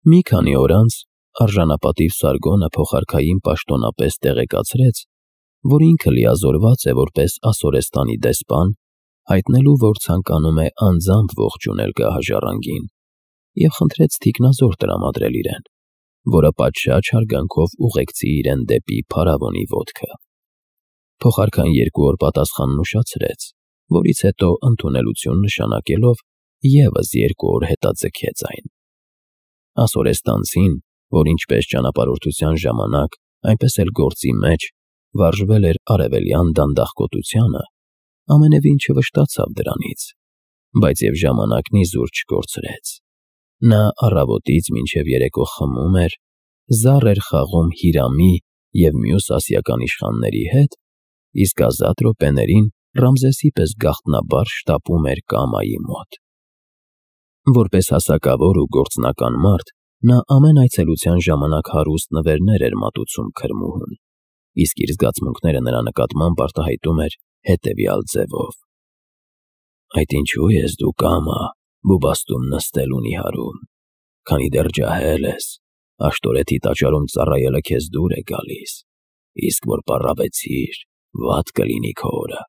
Մի քանի օր անց արժանապատիվ Սարգոնը փոխարքային պաշտոնապես տեղեկացրեց, որ ինքը լիազորված է որպես Ասորեստանի դեսպան, հայտնելու, որ ցանկանում է անձամբ ողջունել գահաժառանգին, և խնդրեց թիկնազոր տրամադրել իրեն, որը պատշաճ հարգանքով ուղեկցի իրեն դեպի փարավոնի ոտքը։ Փոխարքան 2 օր պատասխանն ուշացրեց, որից հետո ընդունելություն նշանակելով ևս 2 օր հետաձգեց այն։ Ասորեստանցին, որ ինչպես ճանապարհորդության ժամանակ, այնպես էլ գործի մեջ վարժվել էր արևելյան դանդաղկոտությանը, ամենևին չվշտացավ դրանից, բայց և ժամանակն իզուր չկորցրեց։ Նա առավոտից մինչև երեկո խմում էր, զառ էր խաղում Հիրամի և մյուս ասիական իշխանների հետ, իսկ ազատ րոպեներին Ռամզեսի պես գաղտնաբար շտապում էր կամայի մոտ։ Որպես հասակավոր ու գործնական մարդ, նա ամեն այցելության ժամանակ հարուստ նվերներ էր մատուցում քրմուհուն, իսկ իր զգացմունքները նրա նկատմամբ արտահայտում էր հետևյալ ձևով. «Այդ ինչու ես դու կամա բուբաստում նստել ունի հարում, քանի դեռ ջահել ես, աշտորեթի տաճարում ծառայելը քեզ դուր է գալիս, իսկ որ պառավեցիր, վատ կլինի քո օրը,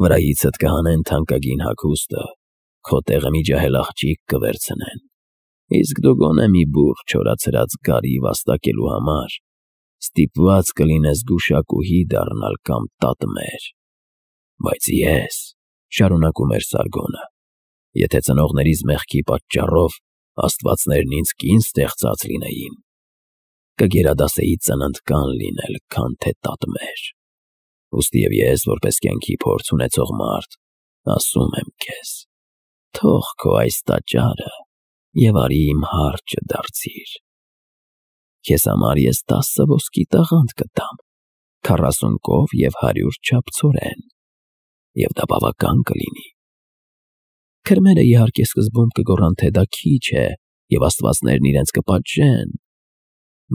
վրայիցդ կհանեն թանկագին հագուստը, քո տեղը մի ջահել աղջիկ կվերցնեն, իսկ դու գոնե մի բուռ չորացրած գարի վաստակելու համար ստիպված կլինես գուշակուհի դառնալ կամ տատմեր։ Բայց ես, շարունակում էր Սարգոնը, եթե ծնողներիս մեղքի պատճառով աստվածներն ինձ կին ստեղծած լինեին, կգերադասեի ծննդկան լինել, քան թե տատմեր։ Ուստի և ես, որպես կյանքի փորձ ունեցող մարդ, ասում եմ քեզ, թող քո այս տաճարը և արի իմ հարճը դարձիր։ Քեզ համար ես 10 ոսկի տաղանդ կտամ, 40 կով և 100 չափ ցորեն, և դա բավական կլինի։ Քրմերը իհարկե սկզբում կգոռան, թե դա քիչ է, և աստվածներն իրենց կպատժեն,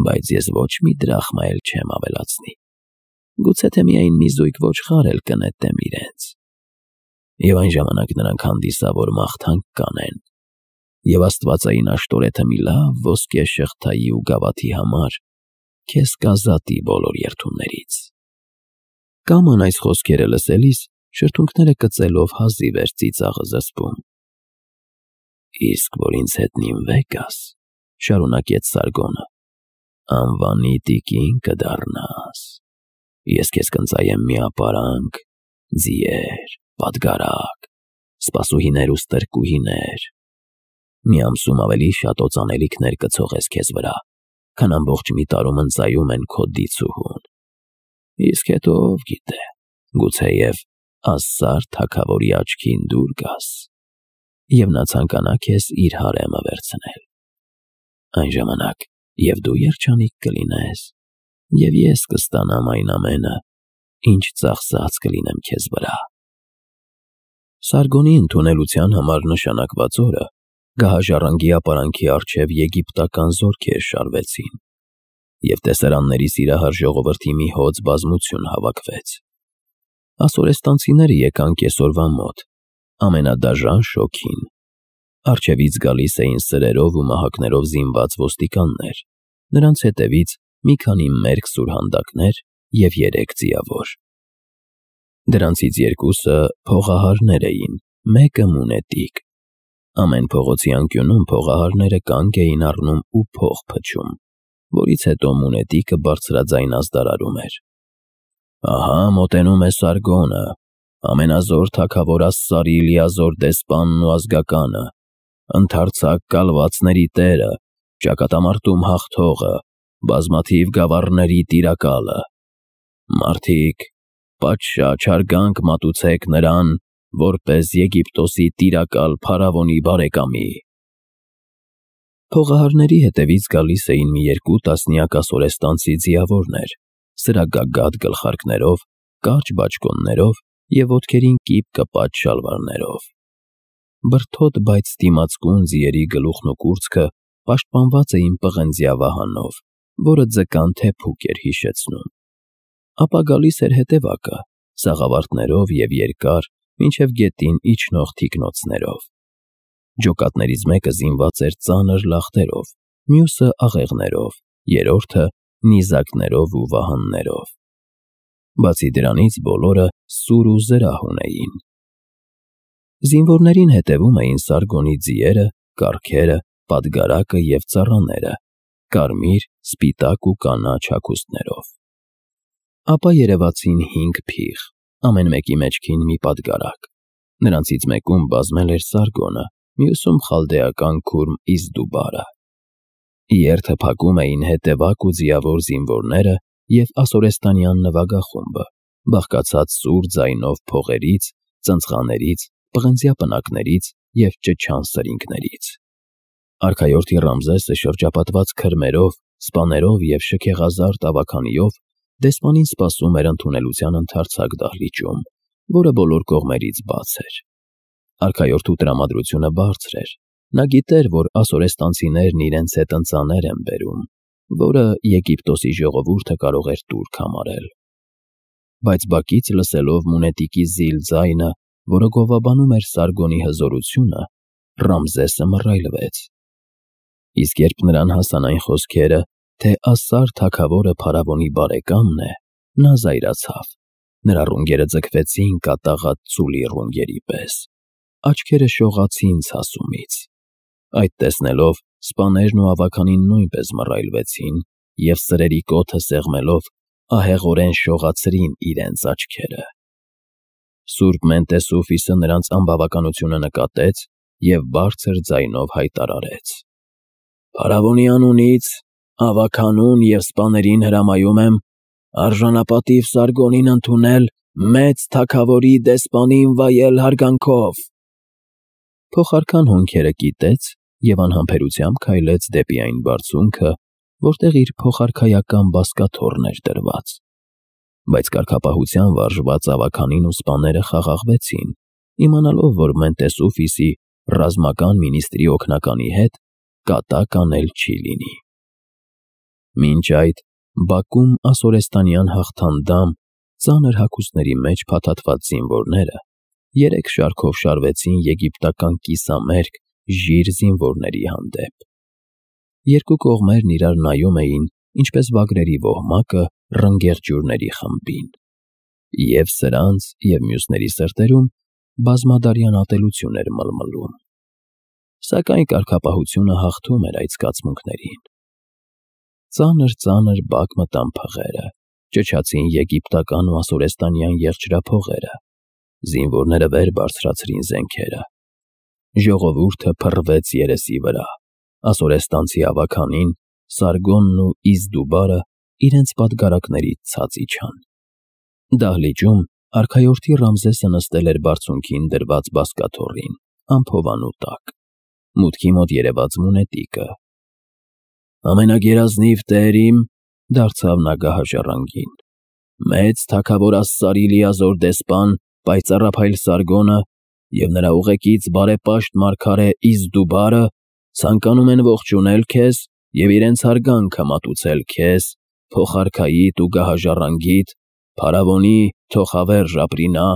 բայց ես ոչ մի դրախմա էլ չեմ ավելացնի, գուցե թե միայն մի զույգ ոչխար էլ կնետեմ իրենց։ Եվ այն ժամանակ նրանք հանդիսավոր մաղթանք կանեն, և աստվածային աշտորեթը մի լավ ոսկե շղթայի ու գավաթի համար քեզ կազատի բոլոր երդումներից»։ Կաման այս խոսքերը լսելիս շրթունքները կծելով հազիվ էր ծիծաղը զսպում։ «Իսկ որ ինձ հետ նինվե գաս, — շարունակեց Սարգոնը, — անվանի տիկին կդառնաս, ես քեզ կընծայեմ մի ապարանք, ձիեր, պատգարակ, սպասուհիներ ու ստրկուհիներ, մի ամսում ավելի շատ օծանելիքներ կցողես քեզ վրա, քան ամբողջ մի տարում ընծայում են քո դիցուհուն, իսկ հետո ով գիտե, գուցեև Ասսար թագավորի աչքին դուր գաս, և նա ցանկանա քեզ իր հարեմը վերցնել։ Այն ժամանակ և դու երջանիկ կլինես, և ես կստանամ այն ամենը, ինչ ծախսած կլինեմ քեզ վրա»։ Սարգոնի ընդունելության համար նշանակված օրը գահաժառանգի ապարանքի առջև եգիպտական զորքեր շարվեցին, և տեսարանների սիրահար ժողովրդի մի հոծ բազմություն հավաքվեց։ Ասորեստանցիները եկան կեսօրվա մոտ, ամենադաժան շոգին։ Առջևից գալիս էին սրերով ու մահակներով զինված ոստիկաններ, նրանց հետևից մի քանի մերկ սուրհանդակներ և 3 ձիավոր։ Դրանցից 2-ը փողահարներ էին, մեկը մունետիկ։ Ամեն փողոցի անկյունում փողահարները կանգ էին առնում ու փող փչում, որից հետո մունետիկը բարձրաձայն ազդարարում էր. «Ահա մոտենում է Սարգոնը, ամենազոր թագավոր Ասսարի լիազոր դեսպանն ու ազգականը, ընդարձակ կալվածների տերը, ճակատամարտում հաղթողը, բազմաթիվ գավառների տիրակալը։ Մարդիկ, պատշաճ հարգանք մատուցեք նրան, որպես Եգիպտոսի տիրակալ փարավոնի բարեկամի»։ Փողահարների հետևից գալիս էին մի 2 տասնյակ ասորեստանցի ձիավորներ, սրագագաթ գլխարկներով, կարճ բաճկոններով և ոտքերին կիպ կպած շալվարներով։ Բրդոտ, բայց դիմացկուն ձիերի գլուխն ու կուրծքը պաշտպանված էին պղնձյա վահանով, որը ձկան թեփուկ էր հիշեցնում։ Ապա գալիս էր հետևակը, սաղավարտներով և երկար, մինչև գետին իջնող թիկնոցներով։ Ջոկատներից մեկը զինված էր ծանր լախտերով, մյուսը աղեղներով, երրորդը նիզակներով ու վահաններով։ Բացի դրանից բոլորը սուր ու զրահ ունեին։ Զինվորներին հետևում էին Սարգոնի ձիերը, կառքերը, պատգարակը և ծառաները, կարմիր, սպիտակ ու կանաչ հագուստներով։ Ապա երևացին 5 փիղ, ամեն մեկի մեջքին մի պատգարակ։ Նրանցից մեկում բազմել էր Սարգոնը, մյուսում խալդեական քուրմ Իզդուբարը։ Երթը փակում էին հետևակ ու ձիավոր զինվորները և ասորեստանյան նվագախումբը, բաղկացած սուր ձայնով փողերից, ծնծղաներից, պղնձյա պնակներից և ճչան սրինգներից։ Արքայորդի Ռամզեսը շրջապատված քրմերով, սպաներով և շքեղազարդ ավագանիով դեսպանին սպասում էր ընդունելության ընդարձակ դահլիճում, որը բոլոր կողմերից բաց էր։ Արքայորդու տրամադրությունը բարձր էր։ Նա գիտեր, որ ասորեստանցիներն իրենց հետ ընծաներ են բերում, որը Եգիպտոսի ժողովուրդը կարող էր տուրք համարել։ Բայց բակից լսելով մունետիկի զիլ ձայնը, որը գովաբանում էր Սարգոնի հզորությունը, Ռամզեսը մռայլվեց։ Իսկ երբ նրան հասան այն խոսքերը, թե Ասար թագավորը փարավոնի բարեկամն է, նա զայրացավ։ Նրա ռունգերը ձգվեցին կատաղած ծուլի ռունգերի պես։ Աչքերը շողացին ցասումից։ Այդ տեսնելով սպաներն ու ավագանին նույնպես մռայլվեցին և սրերի կոթը սեղմելով ահեղորեն շողացրին իրենց աչքերը։ Սուրբ Մենտեսուֆիսը նրանց անբավականությունը նկատեց և բարձր ձայնով հայտարարեց. «Փարավոնի անունից ավագանուն և սպաներին հրամայում եմ արժանապատիվ Սարգոնին ընդունել մեծ թագավորի դեսպանին վայել հարգանքով»։ Փոխարքան հոնքերը կիտեց և անհամբերությամբ քայլեց դեպի այն բարձունքը, որտեղ իր փոխարքայական բազկաթոռն էր դրված։ Բայց կարգապահության վարժված ավագանին ու սպաները խաղաղվեցին, իմանալով, որ Մենտեսուֆիսի ռազմական մինիստրի օգնականի հետ կատակ անել չի լինի։ Մինչ այդ բակում ասորեստանյան հաղթանդամ, ծանր հագուստների մեջ փաթաթված զինվորները 3 շարքով շարվեցին եգիպտական կիսամերկ ժիր զինվորների հանդեպ։ Երկու կողմերն իրար նայում էին, ինչպես վագրերի ոհմակը ռնգեղ ջուրների խմբին։ Եվ սրանց, և մյուսների սրտերում բազմադարյան ատելություն էր մլմլում։ Սակայն կարգապահությունը հաղթում էր այդ զգացմունքներին։ Ծանր բակ մտան փղերը, ճչացին եգիպտական ու ասորեստանյան եղջրափողերը։ Զինվորները վեր բարձրացրին զենքերը։ Ժողովուրդը փռվեց երեսի վրա։ Ասորեստանցի ավագանին, Սարգոնն ու Իզդուբարը իրենց պատգարակներից ցած իջան։ Դահլիճում արքայորդի Ռամզեսը նստել էր բարձունքին դրված բազկաթոռին, անփովանու տակ։ Մուտքի մոտ երևաց մունետիկը։ «Ամենագերազնիվ տեր իմ», դարձավ նա գահաժառանգին, «մեծ թագավոր Ասսարի լիազոր դեսպան պայծառափայլ Սարգոնը և նրա ուղեկից բարեպաշտ մարգարե Իզդուբարը ցանկանում են ողջունել քեզ և իրենց հարգանքը մատուցել քեզ, փոխարքայիդ ու գահաժառանգիդ, փարավոնի թոխավերժ ապրինա։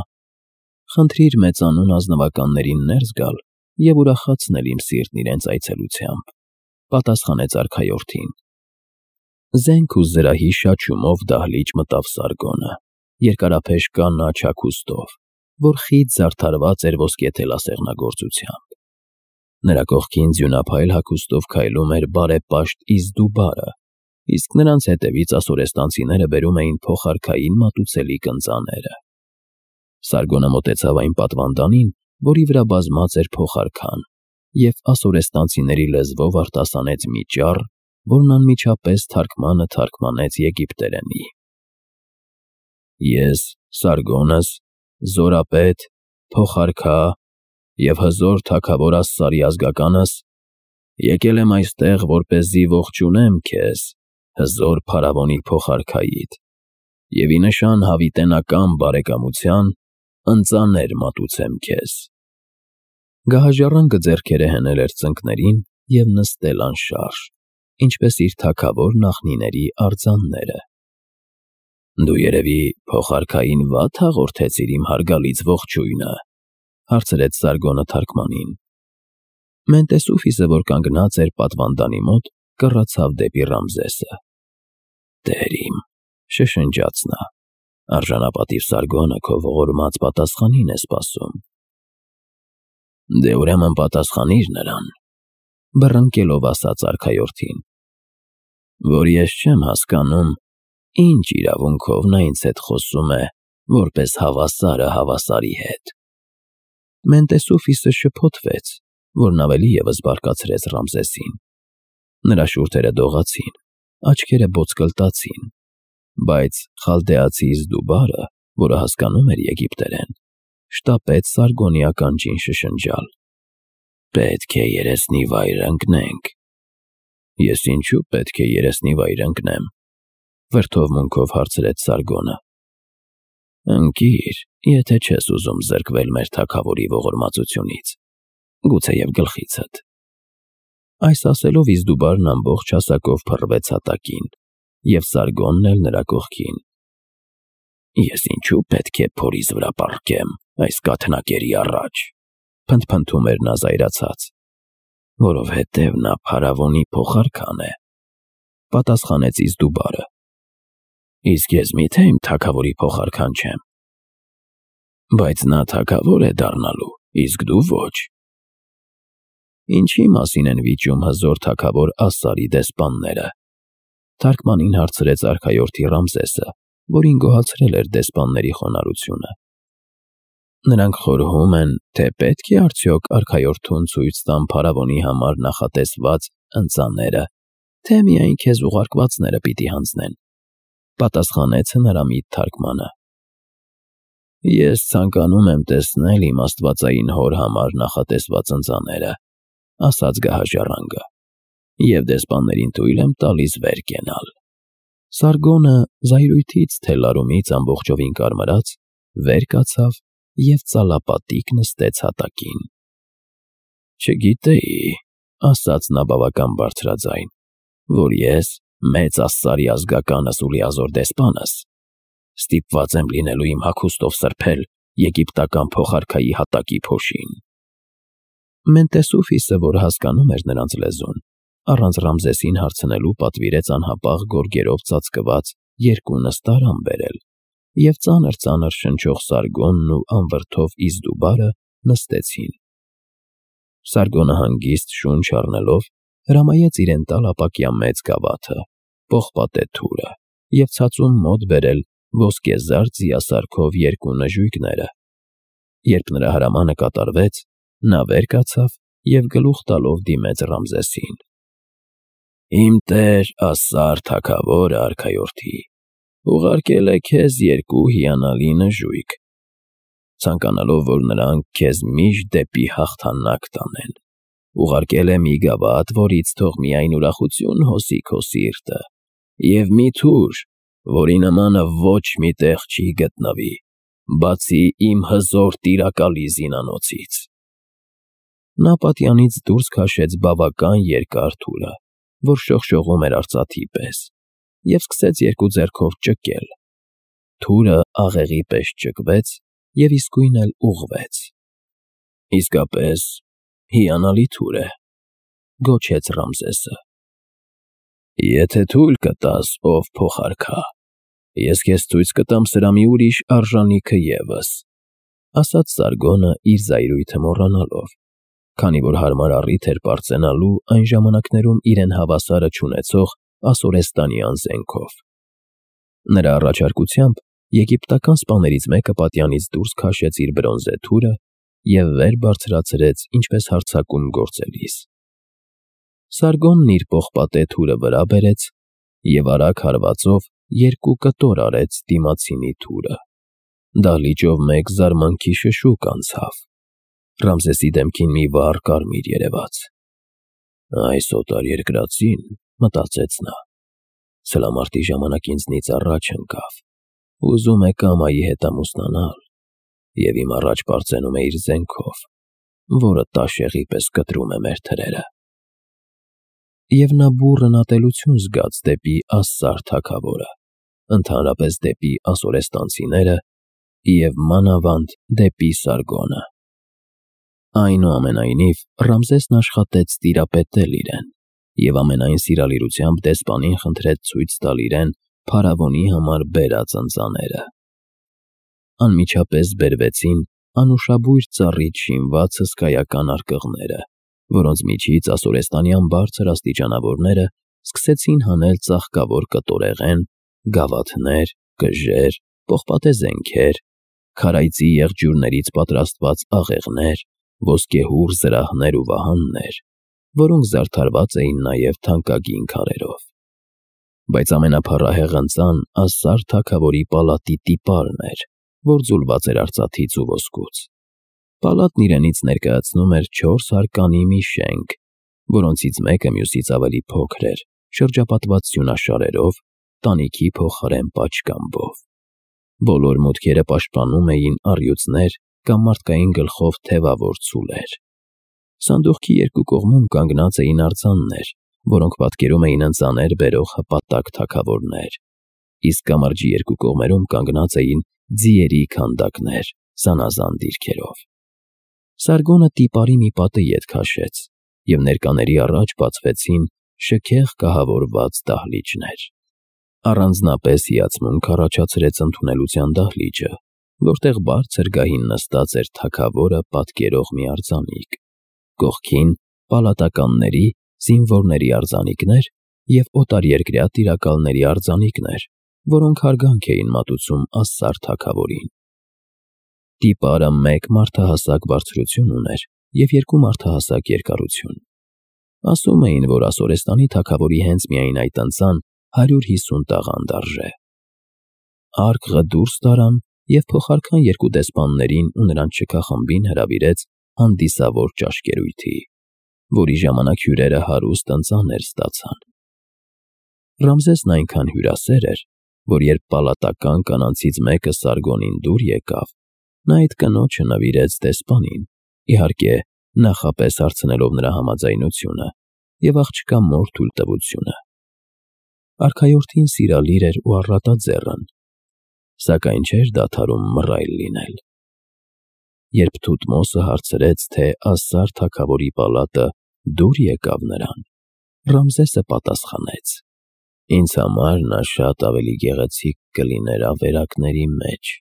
Խնդրիր մեծանուն ազնվականներին ներս գալ և ուրախացնել իմ սիրտն իրենց այցելությամբ», պատասխանեց արքայորդին։ Զենք ու զրահի շաչյումով դահլիճ մտավ Սարգոնը, երկարափեշ կանաչ հագուստով, որ խիտ զարդարված էր ոսկե թելասեղնագործությամբ։ Նրա կողքին ձյունափայլ հագուստով քայլում էր բարեպաշտ Իզդուբարը, իսկ նրանց հետևից ասորեստանցիները բերում էին փոխարքային մատուցելիք ընծաները։ Սարգոնը մոտեցավ այն պատվանդանին, որի վրա բազմած էր փոխարքան, և ասորեստանցիների լեզվով արտասանեց մի ճառ, որն անմիջապես թարգմանը թարգմանեց եգիպտերենի. «Ես, Սարգոնս, զորապետ, փոխարքա և հզոր թագավոր Ասսարի ազգականս, եկել եմ այստեղ, որպեսզի ողջունեմ քեզ, հզոր փարավոնի փոխարքայիդ, և ի նշան հավիտենական բարեկամության ընծաներ մատուցեմ քեզ»։ Գահաժառանգը ձեռքերը հենել էր ծնկներին և նստել անշարժ, ինչպես իր թագավոր նախնիների արձանները։ «Դու երևի փոխարքային վատ հաղորդեցիր իմ հարգալից ողջույնը», հարցրեց Սարգոնը թարգմանին։ Մենտեսուֆիսը, որ կանգնած էր պատվանդանի մոտ, կռացավ դեպի Ռամզեսը։ «Տեր իմ», շշնջաց նա, «արժանապատիվ Սարգոնը քո ողորմած պատասխանին է սպասում»։ «Դե ուրեմն պատասխանիր նրան», բռնկելով ասաց արքայորդին, «որ ես չեմ հասկանում, ինչ իրավունքով նա ինձ հետ խոսում է, որպես հավասարը հավասարի հետ»։ Մենտեսուֆիսը շփոթվեց, որն ավելի ևս բարկացրեց Ռամզեսին։ Նրա շուրթերը դողացին, աչքերը բոցկլտացին, բայց խալդեացի Իզդուբարը, որը հասկանում էր եգիպտերեն, շտապեց Սարգոնի ականջին շշնջալ. «Պետք է երեսնի վայր ընկնենք»։ «Ես ինչու պետք է երեսնի վայր ընկնեմ», վրդովմունքով հարցրեց Սարգոնը։ «Ընկիր, եթե չես ուզում զրկվել մեր թագավորի ողորմածությունից, գուցեև գլխիցդ»։ Այս ասելով Իզդուբարն ամբողջ հասակով փռվեց հատակին, և Սարգոնն էլ նրա կողքին։ «Ես ինչու պետք է փորիս վրա պառկեմ այս կաթնակերի առաջ», փնթփնթում էր նա զայրացած։ «Որովհետև նա փարավոնի փոխարքան է», պատասխանեց Իզդուբարը։ «Իսկ ես միթե իմ թագավորի փոխարքան չեմ»։ «Բայց նա թագավոր է դառնալու, իսկ դու ոչ»։ «Ինչի մասին են վիճում հզոր թագավոր Ասսարի դեսպանները», թարգմանին հարցրեց արքայորդի Ռամզեսը, որին գոհացրել էր դեսպանների խոնարհությունը։ «Նրանք խորհում են, թե պետք է արդյոք արքայորդուն ցույց տան փարավոնի համար նախատեսված ընծաները, թե միայն քեզ ուղարկվածները պիտի հանձնեն», պատասխանեց հնարամիտ թարգմանը։ «Ես ցանկանում եմ տեսնել իմ աստվածային հոր համար նախատեսված ընծաները», ասաց գահաժառանգը, «և դեսպաններին թույլ եմ տալիս վեր կենալ»։ Սարգոնը զայրույթից թելարումից ամբողջովին կարմրած, վեր կացավ և ծալապատիկ նստեց հատակին։ «Չգիտեի», ասաց նա բավական բարձրաձայն, «որ ես, մեծ Ասսարի ազգականս ու լիազոր դեսպանս, ստիպված եմ լինելու իմ հագուստով սրբել եգիպտական փոխարքայի հատակի փոշին»։ Մենտեսուֆիսը, որ հասկանում էր նրանց լեզուն, առանց Ռամզեսին հարցնելու պատվիրեց անհապաղ գորգերով ծածկված երկու նստարան բերել, և ծանր-ծանր շնչող Սարգոնն ու անվրդով Իզդուբարը նստեցին։ Սարգոնը հանգիստ շունչ առնելով հրամայեց իրեն տալ ապակյա մեծ գավաթը, պողպատե թուրը և ցածուն մոտ բերել ոսկեզար ձիասարքով երկու նժույգները։ Երբ նրա հրամանը կատարվեց, նա վեր կացավ և գլուխ տալով դիմեց Ռամզեսին. «Իմ տեր Ասսար թագավորը արքայորդի ուղարկել է քեզ երկու հիանալի նժույգ, ցանկանալով, որ նրանք քեզ միշտ դեպի հաղթանակ տանեն, ուղարկել է մի գավաթ, որից թող միայն ուրախություն հոսի քո սիրտը, և մի թուր, որի նմանը ոչ մի տեղ չի գտնվի, բացի իմ հզոր տիրակալի զինանոցից»։ Նա պատյանից դուրս քաշեց բավական երկար թուրը, որ շողշողում էր արծաթի պես, և սկսեց երկու ձեռքով ճկել։ Թուրը աղեղի պես ճկվեց և իսկույն էլ ուղղվեց։ «Իսկապես հիանալի թուր է», գոչեց Ռամզեսը։ «Եթե թույլ կտաս, ով փոխարքա, ես քեզ ցույց կտամ սրա մի ուրիշ արժանիքը ևս», ասաց Սարգոնը իր զայրույթը մոռանալով, քանի որ հարմար առիթ էր պարծենալու այն ժամանակներում իրեն հավասարը չունեցող ասորեստանյան զենքով։ Նրա առաջարկությամբ եգիպտական սպաներից մեկը պատյանից դուրս քաշեց իր բրոնզե թուրը և վեր բարձրացրեց ինչպես հարձակում գործելիս։ Սարգոնն իր պողպատե թուրը վրա բերեց և արագ հարվածով երկու կտոր արեց դիմացինի թուրը։ Դահլիճով մեկ զարմանքի շշուկ անցավ։ Ռամզեսի դեմքին մի վառ կարմիր երևաց։ «Այս օտարերկրածին», մտածեց նա, «սլամարտի ժամանակ ինձնից առաջ ընկավ, ուզում է կամայի հետ ամուսնանալ և իմ առաջ պարծենում է իր զենքով, որը տաշեղի պես կտրում է մեր թրերը»։ Եվ նա բուռն ատելություն զգաց դեպի Ասսար թագավորը, ընդհանրապես դեպի ասորեստանցիները և մանավանդ դեպի Սարգոնը։ Այնուամենայնիվ Ռամզեսն աշխատեց տիրապետել իրեն, և ամենայն սիրալիրությամբ դեսպանին խնդրեց ցույց տալ իրեն փարավոնի համար բերած ընծաները։ Անմիջապես բերվեցին անուշաբույր ծառից շինված հսկայական արկղները, որոնց միջից ասորեստանյան բարձր աստիճանավորները սկսեցին հանել ծաղկավոր կտորեղեն, գավաթներ, կժեր, պողպատե զենքեր, քարայծի եղջյուրներից պատրաստված աղեղներ, ոսկեհուռ զրահներ ու վահաններ, որոնք զարդարված էին նաև թանկագին քարերով։ Բայց ամենափառահեղ ընծան Ասսար թագավորի պալատի տիպարն էր, որ ձուլված էր արծաթից ու ոսկուց։ Պալատն իրենից ներկայացնում էր 4 հարկանի մի շենք, որոնցից մեկը մյուսից ավելի փոքր էր, շրջապատված սյունաշարերով, տանիքի փոխարեն պատշգամբով։ Բոլոր մուտքերը պաշտպանում էին առյուծներ կամ մարդկային գլխով թևավոր ցուլեր։ Սանդուղքի երկու կողմում կանգնած էին արձաններ, որոնք պատկերում էին ընծաներ բերող հպատակ թագավորներ, իսկ կամրջի երկու կողմերում կանգնած էին ձիերի քանդակներ զանազան դիրքերով։ Սարգոնը տիպարի մի պատը ետ քաշեց, և ներկաների առաջ բացվեցին շքեղ կահավորված դահլիճներ։ Առանձնապես հիացմունք առաջացրեց ընդունելության դահլիճը, որտեղ բարձր գահին նստած էր թագավորը պատկերող մի արձանիկ, կողքին պալատականների, զինվորների արձանիկներ և օտարերկրյա տիրակալների արձանիկներ, որոնք հարգանք էին մատուցում Ասսար թագավորին։ Տիպարը 1 մարդահասակ բարձրություն ուներ և 2 մարդահասակ երկարություն։ Ասում էին, որ Ասորեստանի թագավորի հենց միայն այդ ընծան 150 տաղանդ արժե։ Արկղը դուրս տարան և փոխարքան 2 դեսպաններին ու նրանց շքախմբին հրավիրեց հանդիսավոր ճաշկերույթի, որի ժամանակ հյուրերը հարուստ ընծաներ ստացան։ Ռամզեսն այնքան հյուրասեր էր, որ երբ պալատական կանանցից մեկը Սարգոնին դուր եկավ, նա այդ կնոջը նվիրեց դեսպանին, իհարկե նախապես հարցնելով նրա համաձայնությունը և աղջկա մոր թույլտվությունը։ Արքայորդին սիրալիր էր ու առատաձեռն, սակայն չէր դադարում մռայլ լինել։ Երբ Թութմոսը հարցրեց, թե Ասսար թագավորի պալատը դուր եկավ նրան, Ռամզեսը պատասխանեց. «Ինձ համար նա շատ ավելի գեղեցիկ կլիներ ավերակների մեջ,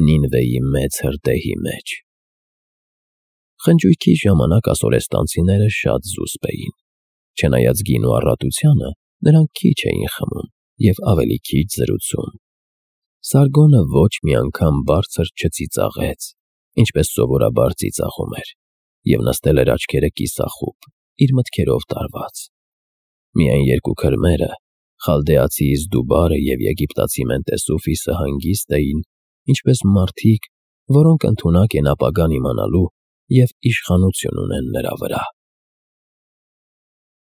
Նինվեի մեծ հրդեհի մեջ»։ Խնջույքի ժամանակ ասորեստանցիները շատ զուսպ էին։ Չնայած գինու առատությանը, նրանք քիչ էին խմում և ավելի քիչ զրուցում։ Սարգոնը ոչ մի անգամ բարձր չծիծաղեց, ինչպես սովորաբար ծիծաղում էր, և նստել էր աչքերը կիսախուբ, իր մտքերով տարված։ Միայն 2 քրմերը՝ խալդեացի Իզդուբարը և եգիպտացի Մենտեսուֆիսը հանգիստ էին, ինչպես մարդիկ, որոնք ընդունակ են ապագան իմանալու և իշխանություն ունեն նրա վրա։